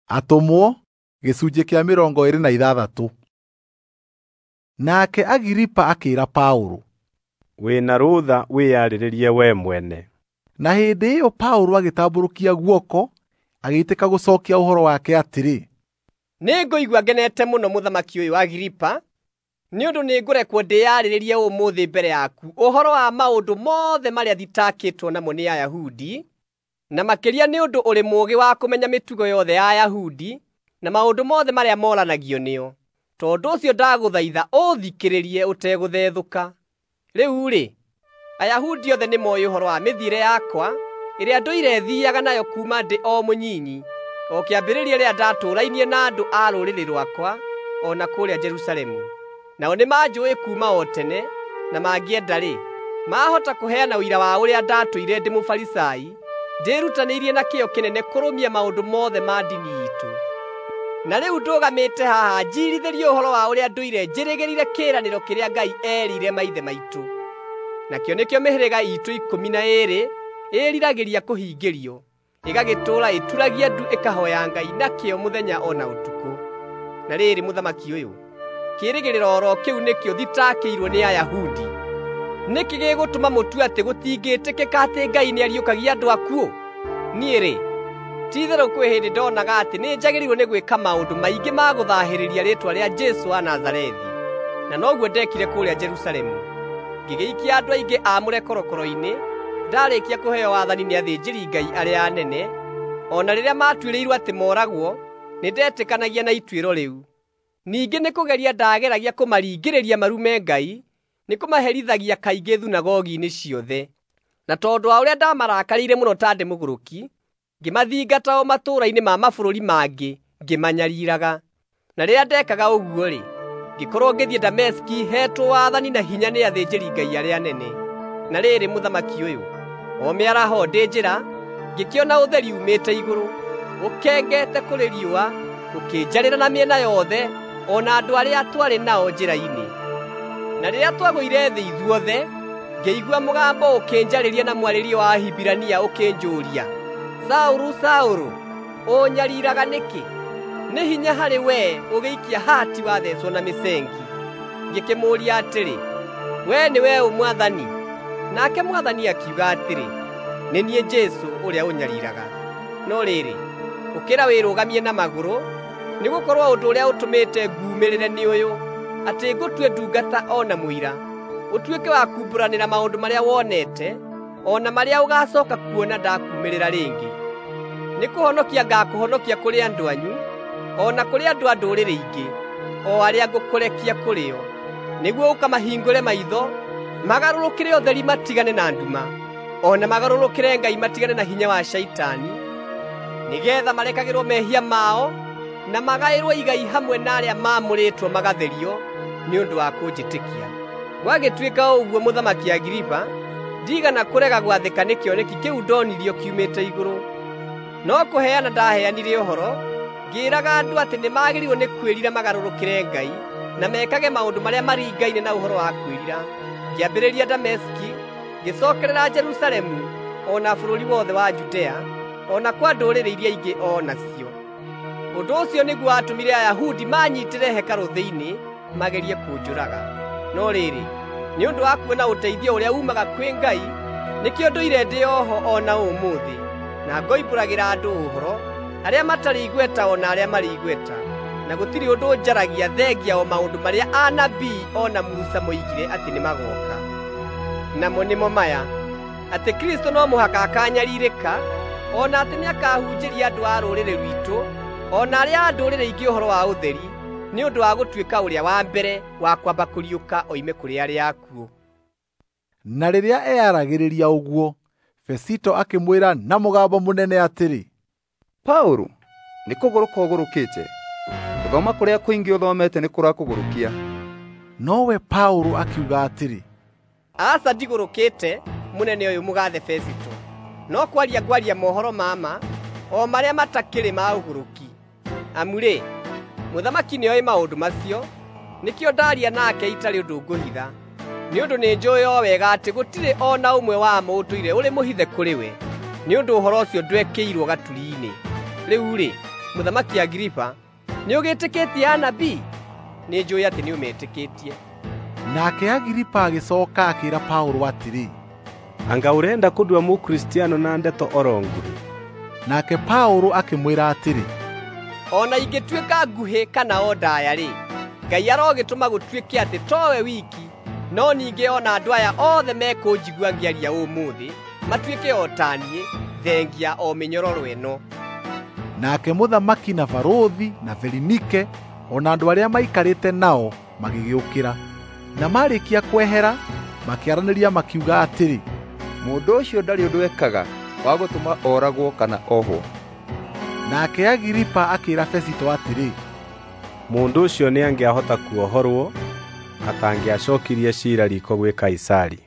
Atũmwo gĩcunjĩ kĩa 26. Nake Agiripa akĩĩra Paũlũ, "Wĩna rũtha wĩyarĩrĩrie we mwene." Na hĩndĩ ĩyo Paũlũ agĩtambũrũkia guoko agĩitĩka gũcookia ũhoro wake atĩrĩ, "Nĩngũigua ngenete mũno mũthamaki ũyũ Agiripa, nĩ ũndũ nĩngũrekwo ndĩyarĩrĩrie ũmũthĩ mbere yaku ũhoro wa maũndũ mothe marĩa thitakĩtwo namo nĩ Ayahudi, na makĩria nĩ ũndũ ũrĩ mũũgĩ wa kũmenya mĩtugo yothe ya Ayahudi na maũndũ mothe marĩa moranagio nĩo. Tondũ ũcio ndagũthaitha ũũthikĩrĩrie ũtegũthethũka. Rĩu-rĩ, Ayahudi othe nĩmooĩ ũhoro wa mĩthiĩre yakwa ĩrĩa ndũire thiiaga nayo kuuma ndĩ o mũnyinyi, o kĩambĩrĩria rĩrĩa ndatũũrainie na andũ a rũrĩrĩ rwakwa o na kũrĩa Jerusalemu. Nao nĩmanjũũĩ kuuma o tene, na mangĩenda-rĩ, maahota kũheana ũira wa ũrĩa ndatũire ndĩ Mũfarisai, ndĩĩrutanĩirie na kĩyo kĩnene kũrũmia maũndũ mothe ma ndini iitũ. Na rĩu ndũgamĩte haha njiirithĩrie ũhoro wa ũrĩa ndũire njĩrĩgĩrĩire kĩĩranĩro kĩrĩa Ngai eerĩire maithe maitũ. Nakĩo nĩkĩo mĩhĩrĩga iitũ 12 ĩĩriragĩria kũhingĩrio, ĩgagĩtũũra ĩturagia ndu ĩkahooya Ngai nakĩo mũthenya o na ũtukũ. Na rĩrĩ, mũthamaki ũyũ, kĩĩrĩgĩrĩro oro kĩu nĩkĩo thitakĩirwo nĩ Ayahudi. Nĩkĩ gĩgũtũma mũtue atĩ gũtingĩtĩkĩka atĩ Ngai nĩariũkagia andũ akuũ? Niĩ-rĩ, ti-itherũ kwĩ hĩndĩ ndonaga atĩ nĩnjagĩrĩirwo nĩ gwĩka maũndũ maingĩ ma gũthaahĩrĩria rĩĩtwa rĩa Jesũ wa Nazarethi. Na noguo ndeekire kũrĩa Jerusalemu. Ngĩgĩikia andũ aingĩ aamũre korokoro-inĩ, ndaarĩkia kũheo wathani nĩ athĩnjĩri-Ngai arĩa anene. O na rĩrĩa maatuĩrĩirwo atĩ mooragwo, nĩndetĩkanagia na ituĩro rĩu. Ningĩ nĩkũgeria ndaageragia kũmaringĩrĩria marume Ngai, nĩkũmaherithagia kaingĩ thunagogi-inĩ ciothe. Na tondũ wa ũrĩa ndamarakarĩire mũno ta ndĩ mũgũrũki, ngĩmathingata o matũũra-inĩ ma mabũrũri mangĩ ngĩmanyariiraga. Na rĩrĩa ndeekaga ũguo-rĩ, ngĩkorwo ngĩthiĩ Dameski heetwo wathani na hinya nĩ athĩnjĩri-Ngai arĩa anene. Na rĩrĩ, mũthamaki ũyũ, o mĩaraho ndĩ njĩra, ngĩkĩona ũtheri uumĩte igũrũ, ũkengete kũrĩ riũa, ũkĩnjarĩra na mĩena yothe, o na andũ arĩa twarĩ nao njĩra-inĩ. Na rĩrĩa twagũire thĩ ithuothe, ngĩigua mũgambo ũkĩnjarĩria na mwarĩrie wa Ahibirania ũkĩnjũũria, 'Saũlũ, Saũlũ, ũũnyariiraga nĩkĩ? Nĩ hinya harĩ wee ũgĩikia hati wathecwo na mĩcengi.' Ngĩkĩmũũria atĩrĩ, 'Wee nĩwe ũ, Mwathani?' Nake Mwathani akiuga atĩrĩ, 'Nĩ niĩ Jesũ ũrĩa ũnyariiraga. No rĩrĩ, ũkĩra wĩrũgamie na magũrũ, nĩgũkorwo ũndũ ũrĩa ũtũmĩte nguumĩrĩre nĩ ũyũ, atĩ ngũtue ndungata o na mũira, ũtuĩke wa kuumbũranĩra maũndũ marĩa wonete, o na marĩa ũgaacooka kuona ndakuumĩrĩra rĩngĩ. Nĩkũhonokia ngaakũhonokia kũrĩ andũ anyu, o na kũrĩ andũ a ndũrĩrĩ ingĩ, o arĩa ngũkũrekia kũrĩ o, nĩguo ũkamahingũre maitho, magarũrũkĩre ũtheri matigane na nduma, o na magarũrũkĩre Ngai matigane na hinya wa Shaitani, nĩgeetha marekagĩrwo mehia mao na magaĩrwo igai hamwe na arĩa maamũrĩtwo magatherio nĩ ũndũ wa kũnjĩtĩkia." Gwagĩtuĩka ũguo, mũthamaki Agiripa, ndiigana kũrega gwathĩka nĩ kĩoneki kĩu ndonirio kiumĩte igũrũ. No kũheana ndaheanire ũhoro, ngĩĩraga andũ atĩ nĩmagĩrĩirwo nĩ kwĩrira magarũrũkĩre Ngai na mekage maũndũ marĩa maringaine na ũhoro wa kwĩrira. Ngĩambĩrĩria Dameski, ngĩcookerera Jerusalemu, o na bũrũri wothe wa Judea, o na kwa ndũrĩrĩ iria ingĩ o nacio. Ũndũ ũcio nĩguo watũmire Ayahudi maanyiitĩre hekarũ thĩinĩ magerie kũnjũraga. No rĩrĩ, nĩ ũndũ wa kuona ũteithio ũrĩa uumaga kwĩ Ngai, nĩkĩo ndũire ndĩ oho o na ũmũthĩ, na ngoimbũragĩra andũ ũhoro, arĩa matarĩ igweta o na arĩa marĩ igweta. Na gũtirĩ ũndũ njaragia thengia o maũndũ marĩa anabii o na Musa moigire atĩ nĩmagooka. Namo nĩmo maya, atĩ Kristũ no mũhaka akaanyariirĩka, o na atĩ nĩakahunjĩria andũ a rũrĩrĩ rwitũ, o na arĩa a ndũrĩrĩ ingĩ ũhoro wa ũtheri, nĩ ũndũ wa gũtuĩka ũrĩa wa mbere wa kwamba kũriũka oime kũrĩ arĩa akuũ. Na rĩrĩa eyaragĩrĩria ũguo, Fesito akĩmwĩra na mũgambo mũnene atĩrĩ, "Paũlũ, nĩkũgũrũka ũgũrũkĩte. Gũthoma kũrĩa kũingĩ ũthomete nĩkũrakũgũrũkia." Nowe Paũlũ akiuga atĩrĩ, "Aca, ndigũrũkĩte, mũnene ũyũ mũgathe Fesito, no kwaria ngwaria mohoro ma ma, o marĩa matakĩrĩ ma ũgũrũki. Amu-rĩ, mũthamaki nĩoĩ maũndũ macio, nĩkĩo ndaaria nake itarĩ ũndũ ngũhitha. Nĩ ũndũ nĩnjũũĩ o wega atĩ gũtirĩ o na ũmwe wamo ũtũire ũrĩ mũhithe kũrĩ we, nĩ ũndũ ũhoro ũcio ndwekĩirwo gaturi-inĩ. Rĩu-rĩ, Mũthamaki Agiripa, nĩũgĩtĩkĩtie anabii? Nĩnjũũĩ atĩ nĩũmetĩkĩtie. Nake Agiripa agĩcooka akĩĩra Paũlũ atĩrĩ, Anga ũrenda kũndua Mũkristiano na ndeto oro nguhĩ? Nake Paũlũ akĩmwĩra atĩrĩ, O na ingĩtuĩka nguhĩ kana o ndaaya-rĩ, Ngai arogĩtũma gũtuĩke atĩ towe wiki, no ningĩ o na andũ aya othe mekũnjigua ngĩaria ũmũthĩ matuĩke o ta niĩ, thengia o mĩnyororo ĩno. Nake mũthamaki na barũthi na Berinike o na andũ arĩa maikarĩte nao magĩgĩũkĩra. Na maarĩkia kwehera, makĩaranĩria makiuga atĩrĩ, Mũndũ ũcio ndarĩ ũndũ ekaga wa gũtũma oragwo kana ohwo. Nake Agiripa akĩĩra Fesito atĩrĩ, Mũndũ ũcio nĩangĩahota kuohorwo atangĩacookirie ciira riiko gwĩ Kaisari.